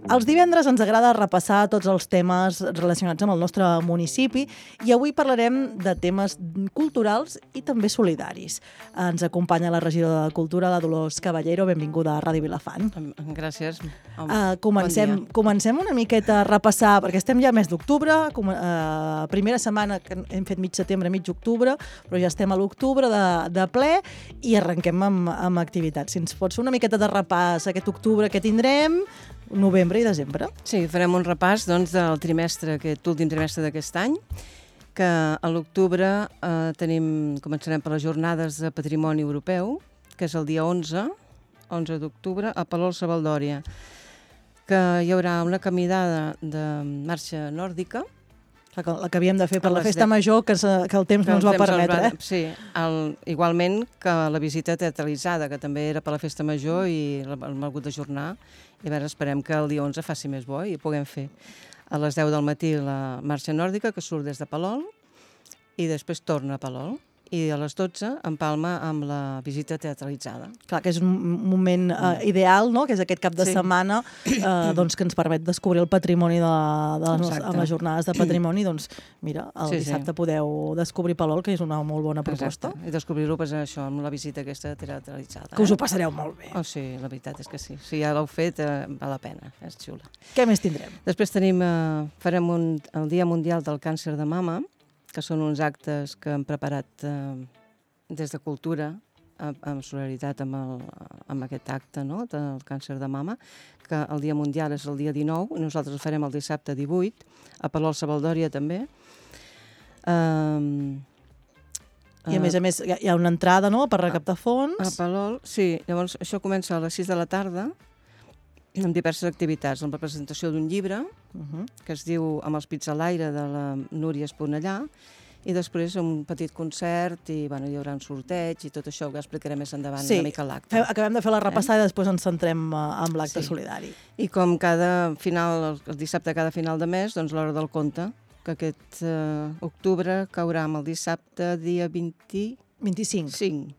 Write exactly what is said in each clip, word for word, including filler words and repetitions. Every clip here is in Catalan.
Els divendres ens agrada repassar tots els temes relacionats amb el nostre municipi i avui parlarem de temes culturals i també solidaris. Ens acompanya la regidora de Cultura, la Dolors Caballero. Benvinguda a Ràdio Vilafant. Gràcies. Uh, comencem, bon comencem una miqueta a repassar, perquè estem ja al mes d'octubre, uh, primera setmana que hem fet mig setembre, mig octubre, però ja estem a l'octubre de, de ple i arrenquem amb, amb activitats. Si ens pots fer una miqueta de repàs aquest octubre que tindrem, novembre i desembre. Sí, farem un repàs doncs, del trimestre, aquest últim trimestre d'aquest any, que a l'octubre eh, tenim, començarem per les jornades de Patrimoni Europeu, que és el dia onze, onze d'octubre, a Palol-Savaldòria, que hi haurà una caminada de marxa nòrdica, La que, la que havíem de fer per A la les festa deu. major, que, se, que el temps que no ens el va temps permetre. va- Eh? Sí, el, igualment que la visita teatralitzada, que també era per la festa major i l'hem hagut d'ajornar. I a veure, esperem que el dia onze faci més bo i puguem fer a les deu del matí la marxa nòrdica, que surt des de Palol, i després torna a Palol. I a les dotze empalma amb la visita teatralitzada. Clar, que és un moment eh, ideal, no? Que és aquest cap de Sí. setmana eh, doncs, que ens permet descobrir el patrimoni de, la, de les, Exacte. amb les jornades de patrimoni. Doncs mira, el Sí, sí. dissabte podeu descobrir Palol, que és una molt bona proposta. Exacte. I descobrir-ho pues, això, amb la visita aquesta teatralitzada. Que us ho eh? passareu molt bé. Oh, sí, la veritat és que sí. Si ja l'heu fet, eh, val la pena, és xula. Què més tindrem? Després tenim, eh, farem un, el Dia Mundial del Càncer de Mama, que són uns actes que hem preparat eh, des de Cultura, en, en solidaritat amb, el, amb aquest acte, no?, del càncer de mama, que el Dia Mundial és el dia dinou, i nosaltres el farem el dissabte divuit, a Palol-Savaldòria també. Um, I a més a més hi ha, hi ha una entrada, no?, per recaptar A fons. Palol, sí. Llavors, això comença a les sis de la tarda, amb diverses activitats, amb la presentació d'un llibre, Uh -huh. que es diu Amb els pits a l'aire, de la Núria Esponellà, i després un petit concert, i bueno, hi haurà un sorteig, i tot això ho explicaré més endavant Sí. una mica a l'acte. Fem, acabem de fer la repassada i després ens centrem uh, en l'acte Sí. solidari. I com cada final, el, el dissabte cada final de mes, doncs l'hora del conte, que aquest eh, octubre caurà amb el dissabte, dia vint-i-cinc, vint-i-cinc.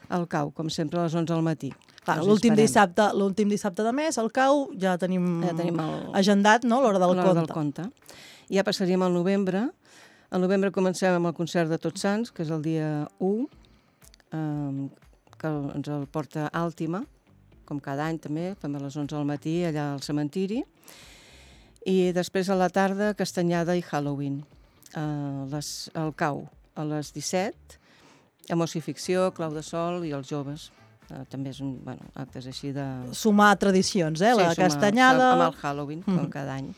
al cau, com sempre a les onze del matí. Clar, Us l'últim esperem. dissabte, l'últim dissabte de mes, al cau, ja tenim, Ja tenim el- agendat, no?, l'hora del L'hora conte. del conte. I ja passaríem al novembre. Al novembre comencem amb el concert de Tots Sants, que és el dia u, eh, que ens el porta Àltima, com cada any també, fem a les onze del matí, allà al cementiri. I després a la tarda, Castanyada i Halloween. Eh, les, el cau, a les disset, Emoció i ficció, Clau de Sol i els joves. Eh, també és un, bueno, actes així de... Sumar tradicions, eh? La sumar- castanyada... Amb el Halloween, com Mhm. cada any.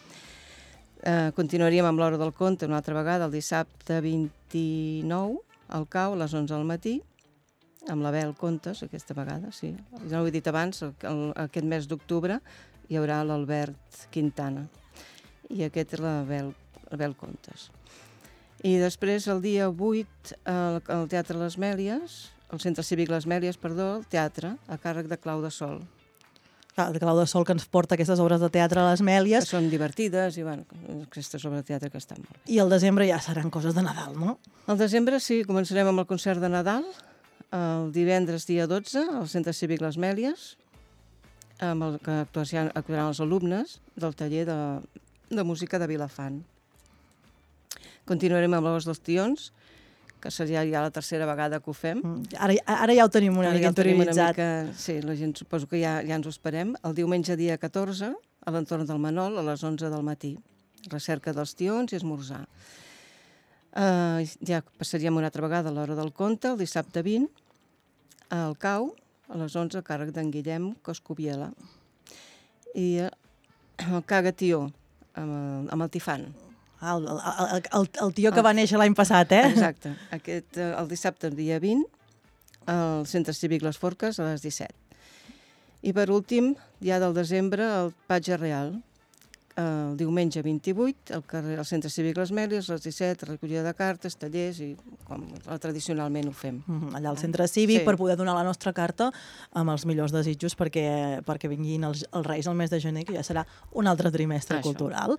Eh, continuaríem amb l'hora del conte una altra vegada, el dissabte vint-i-nou, al cau, a les onze del matí, amb l'Abel Contes, aquesta vegada, sí. Ja ho he dit abans, el, el, aquest mes d'octubre hi haurà l'Albert Quintana. I aquest és l'Abel l'Abel Contes. I després, el dia vuit, al el Teatre Les Mèlies, el Centre Cívic Les Mèlies, perdó, el teatre, a càrrec de Clau de Sol, Clar, de Clau de Sol, que ens porta aquestes obres de teatre a les que Mèlies, són divertides i, bueno, aquestes obres de teatre que estan molt bé. i al desembre ja seran coses de Nadal, no? Al desembre, sí, començarem amb el concert de Nadal, el divendres dia dotze, al Centre Cívic Les Mèlies, amb el que actuaran, actuaran els alumnes del taller de, de música de Vilafant. Continuarem amb l'Os dels Tions, que seria ja la tercera vegada que ho fem. Mm, Ara, ara ja ho tenim una Ara mica ja ho tenim una interioritzat. mica- Sí, la gent suposo que ja, ja ens ho esperem. El diumenge dia catorze, a l'entorn del Manol, a les onze del matí. Recerca dels tions i esmorzar. Uh, ja passaríem una altra vegada a l'hora del conte, el dissabte vint, al cau, a les onze, a càrrec d'en Guillem Coscubiela. I uh, el Cagatió, amb el, amb el Tifant. Ah, el, el, el, el tio que va néixer l'any passat, eh? Exacte. Aquest, eh, el dissabte, el dia vint, al Centre Cívic Les Forques, a les disset. I per últim, ja del desembre, el Patge Real. El diumenge vint-i-vuit, al carrer, al Centre Cívic Les Mèlies, a les disset, recollida de cartes, tallers, i com tradicionalment ho fem. Mhm, allà al centre cívic, Sí. per poder donar la nostra carta amb els millors desitjos perquè, perquè vinguin els, els Reis el mes de gener, que ja serà un altre trimestre Això. cultural.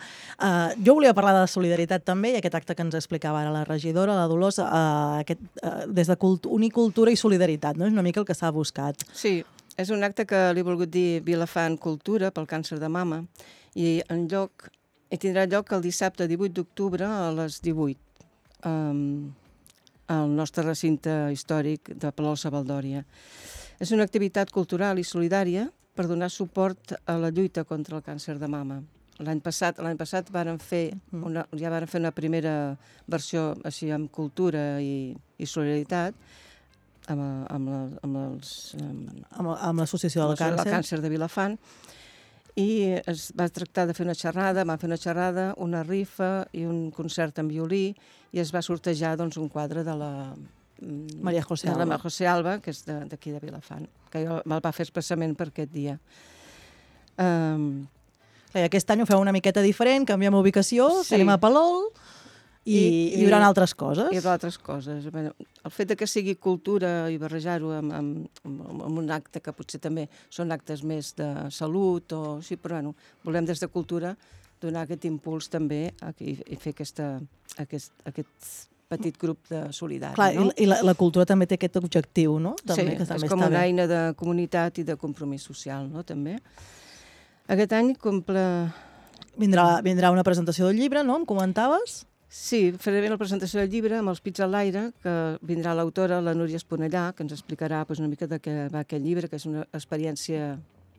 Uh, jo volia parlar de solidaritat també, i aquest acte que ens explicava ara la regidora, la Dolors, uh, aquest, uh, des de cult unir cultura i solidaritat, no? És una mica el que s'ha buscat. Sí, és un acte que li he volgut dir Vilafant Cultura pel càncer de mama, I en lloc, i tindrà lloc el dissabte divuit d'octubre a les divuit, um, al nostre recinte històric de Palol-Sabaldòria. És una activitat cultural i solidària per donar suport a la lluita contra el càncer de mama. L'any passat, l'any passat varen fer una, ja varen fer una primera versió així amb cultura i, i solidaritat amb, amb, la, amb els... Amb, amb l'associació del càncer. El càncer de Vilafant. I es va tractar de fer una xerrada, van fer una xerrada, una rifa i un concert en violí i es va sortejar doncs, un quadre de la... Maria José Alba. De la Maria José Alba, que és d'aquí de, de Vilafant, que me'l va fer expressament per aquest dia. Um, I aquest any ho feu una miqueta diferent, canviem ubicació, sí. Anem a Palol i, I, i hi haurà altres coses. Hi haurà altres coses. El fet de que sigui cultura i barrejar-ho amb, amb, amb un acte que potser també són actes més de salut, o sí, però bueno, volem des de cultura donar aquest impuls també i, i fer aquesta, aquest, aquest petit grup de solidari. Clar, no? I la, la cultura també té aquest objectiu, no? També, sí, que també és com una bé. Eina de comunitat i de compromís social, no? També. Aquest any comple... Vindrà, vindrà una presentació del llibre, no? Em comentaves? Sí, faré la presentació del llibre amb els pits a l'aire, que vindrà l'autora, la Núria Esponellà, que ens explicarà pues, una mica de què va aquest llibre, que és una experiència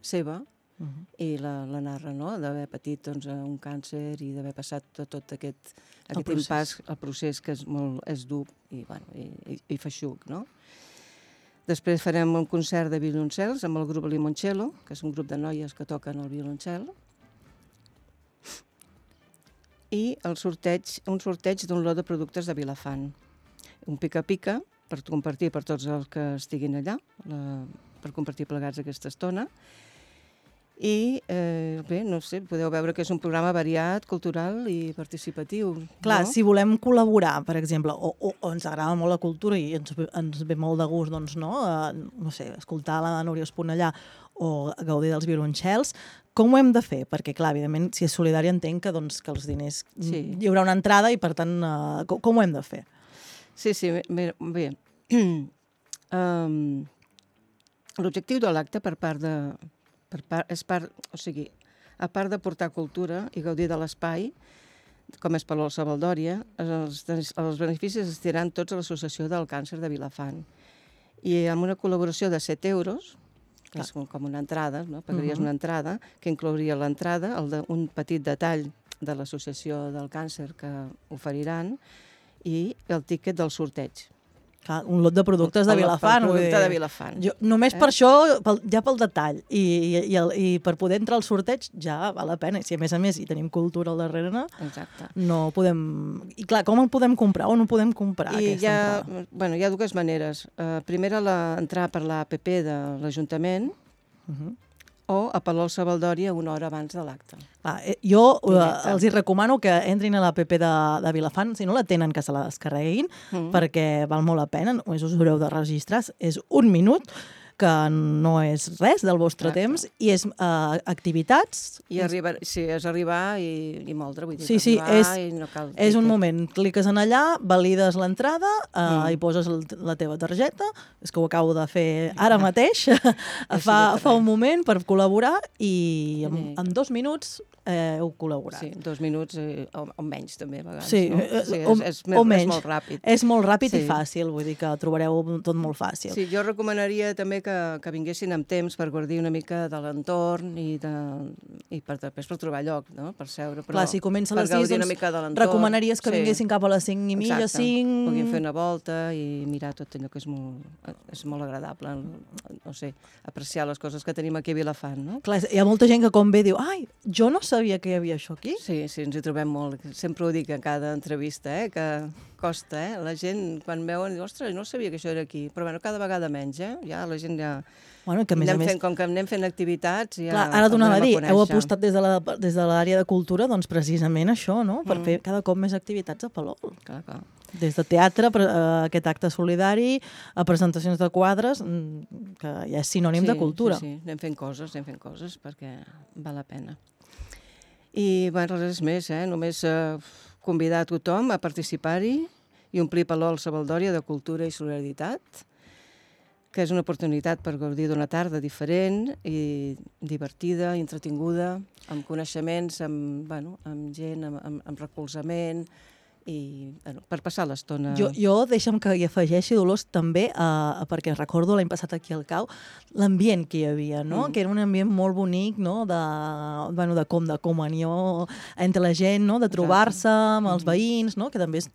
seva, uh -huh. i la, la narra, no?, d'haver patit doncs, un càncer i d'haver passat tot, tot aquest, aquest el impàs, el procés que és, molt, és dur i, bueno, i, i, i feixuc, no? Després farem un concert de violoncels amb el grup Limoncello, que és un grup de noies que toquen el violoncel, i el sorteig, un sorteig d'un lot de productes de Vilafant. Un pica-pica per compartir per tots els que estiguin allà, la, per compartir plegats aquesta estona. I, eh, bé, no sé, podeu veure que és un programa variat, cultural i participatiu. Clar, no? Si volem col·laborar, per exemple, o, o, o ens agrada molt la cultura i ens, ens ve molt de gust, doncs, no, uh, no sé, escoltar la Núria Esponellà o gaudir dels violoncels, com ho hem de fer? Perquè, clar, evidentment, si és solidari entenc que, doncs, que els diners... Sí. Hi haurà una entrada i, per tant, uh, com, com ho hem de fer? Sí, sí, bé. bé. um, L'objectiu de l'acte per part de... Per part, és part, o sigui, a part de portar cultura i gaudir de l'espai, com és Palol-Sabaldòria, els, els beneficis es tiraran tots a l'Associació del Càncer de Vilafant. I amb una col·laboració de set euros, que és com una entrada, no? Pagaries uh -huh. una entrada, que inclouria l'entrada, el de, un petit detall de l'Associació del Càncer que oferiran i el tíquet del sorteig. Un lot de productes de Vilafant. Un producte de Vilafant. Jo, només eh? per això, pel, ja pel detall, i, i, i, el, i per poder entrar al sorteig ja val la pena. I si a més a més hi tenim cultura al darrere, exacte. No podem... I clar, com el podem comprar? On ho podem comprar, I aquesta hi ha, entrada? Bueno, hi ha dues maneres. Uh, primera, la, entrar per l'A P P de l'Ajuntament, uh -huh. o a Palol-Sabaldòria una hora abans de l'acte. Ah, eh, jo eh, els hi recomano que entrin a l'A P P de, de Vilafant, si no la tenen, que se la descarreguin, mm. perquè val molt la pena, només us haureu de registrar, és un minut, que no és res del vostre Exacte. Temps, i és uh, activitats... I arribar, sí, és arribar i, i moldre, vull dir, sí, sí, és, i no cal... És un moment, cliques en allà, valides l'entrada, uh, mm. i poses el, la teva targeta, és que ho acabo de fer ara mateix, fa, fa un moment per col·laborar, i en, sí. en dos minuts eh, heu col·laborat. Sí, dos minuts eh, o, o menys també, a vegades. Sí, no? sí o, és, és, o és menys. molt ràpid. És molt ràpid sí. i fàcil, vull dir que trobareu tot molt fàcil. Sí, jo recomanaria també que, que vinguessin amb temps per guardir una mica de l'entorn i, de, i per, després per trobar lloc, no? Per seure. Però clar, si comença a les sis, doncs recomanaries que sí. vinguessin cap a les cinc i mitja, cinc... Puguin fer una volta i mirar tot allò que és molt, és molt agradable, no sé, apreciar les coses que tenim aquí a Vilafant, no? Clar, hi ha molta gent que com ve diu, ai, jo no sabia que hi havia això aquí. Sí, sí, ens hi trobem molt. Sempre ho dic en cada entrevista, eh, que costa, eh? La gent, quan veuen, diu, ostres, no sabia que això era aquí. Però, bueno, cada vegada menys, eh? Ja la gent ja... Bueno, que a més a més... Fent, com que anem fent activitats... Ja clar, ara donava a dir, heu apostat des de la, des de l'àrea de cultura, doncs precisament això, no? Per mm. fer cada cop més activitats a Palol. Clar, clar. Des de teatre, aquest acte solidari, a presentacions de quadres, que ja és sinònim sí, de cultura. Sí, sí, anem fent coses, anem fent coses, perquè val la pena. I, bueno, res més, eh? Només eh, convidar a tothom a participar-hi i omplir Palol-Sabaldòria de cultura i solidaritat, que és una oportunitat per gaudir d'una tarda diferent i divertida, entretinguda, amb coneixements, amb, bueno, amb gent, amb, amb, amb recolzament, i bueno, per passar l'estona. Jo, jo deixa'm que hi afegeixi, Dolors, també, eh, perquè recordo l'any passat aquí al Cau, l'ambient que hi havia, no? Mm. Que era un ambient molt bonic, no? De, bueno, de com de comunió entre la gent, no? De trobar-se amb els veïns, no? Que també és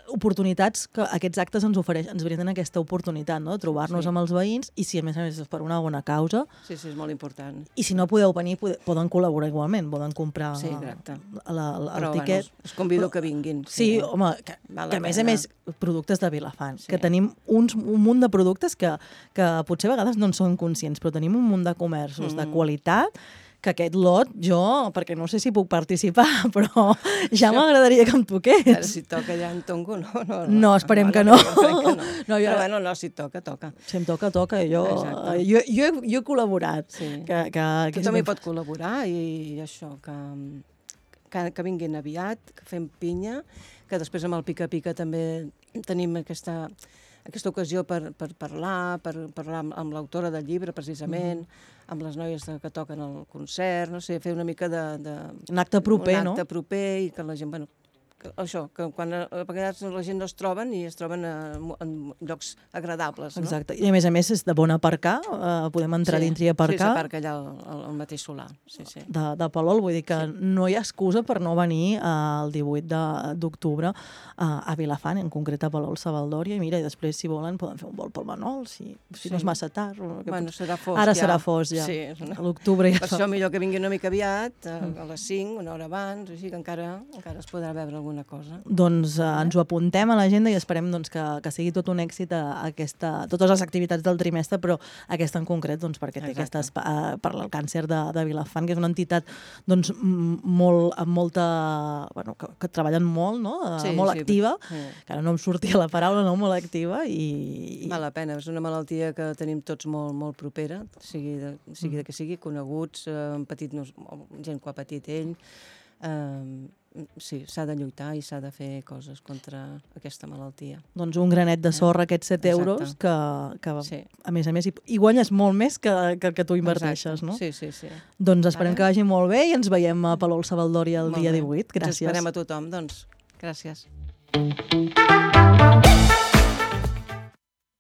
oportunitats que aquests actes ens ofereixen, ens brinden aquesta oportunitat, no? De trobar-nos sí. amb els veïns, i si a més a més és per una bona causa. Sí, sí, és molt important. I si no podeu venir, poden col·laborar igualment, poden comprar sí, la, la, el Però, tiquet. Bueno, us convido que vinguin. Sí, sí eh? home, que, que a més a més, productes de Vilafant, sí. que tenim uns, un munt de productes que, que potser a vegades no en són conscients, però tenim un munt de comerços mm. de qualitat, que aquest lot, jo, perquè no sé si puc participar, però ja m'agradaria que em toqués. Ara, si toca ja en tongo, no. No, no, no esperem no, que no. Que no. no jo, però bueno, no, si toca, toca. Si em toca, toca. Jo, jo, jo, he, jo he col·laborat. Sí. Que, que, que Tothom hi pot col·laborar i això, que, que, que vinguin aviat, que fem pinya, que després amb el pica-pica també tenim aquesta... aquesta ocasió per, per parlar, per parlar amb, amb l'autora del llibre, precisament, mm. amb les noies que toquen el concert, no sé, fer una mica de... de un acte proper, un no? Un acte proper i que la gent, bueno, que, això, que quan a, a vegades la gent no es troben i es troben a, en llocs agradables, no? Exacte, i a més a més és de bon aparcar, eh, podem entrar sí. dintre i aparcar. Sí, s'aparca allà al, al mateix solar, sí, sí. De, de Palol, vull dir que sí. no hi ha excusa per no venir eh, el divuit d'octubre eh, a Vilafant, en concret a Palol Savaldòria, i mira, i després, si volen, poden fer un vol pel Manol, si, si sí. no és massa tard. Bueno, pot... serà fosc, Ara ja. serà fosc, ja. Sí, una... A l'octubre ja. Per això millor que vingui una mica aviat, a, a les cinc, una hora abans, així que encara, encara es podrà veure alguna cosa. Doncs eh, ens ho apuntem a l'agenda i esperem doncs, que, que sigui tot un èxit a, a aquesta, totes les activitats del trimestre, però aquesta en concret doncs, perquè té aquestes, eh, per al càncer de, de Vilafant, que és una entitat doncs, molt, amb molta... Bueno, que, que treballen molt, no? Sí, molt sí, activa, sí. que ara no em sortia la paraula, no? Molt activa i... i... Val la pena, és una malaltia que tenim tots molt, molt propera, sigui de, sigui de que sigui, coneguts, eh, petit, no, gent que ha patit ell, eh, sí, s'ha de lluitar i s'ha de fer coses contra aquesta malaltia. Doncs un granet de sorra, aquests set euros, que, que sí. a més a més, hi, hi guanyes molt més que, que el que tu inverteixes, exacte. no? Sí, sí, sí. Doncs esperem Ara... que vagi molt bé i ens veiem a Palol Savaldòria el molt dia bé. divuit. Gràcies. Ens esperem a tothom, doncs. Gràcies.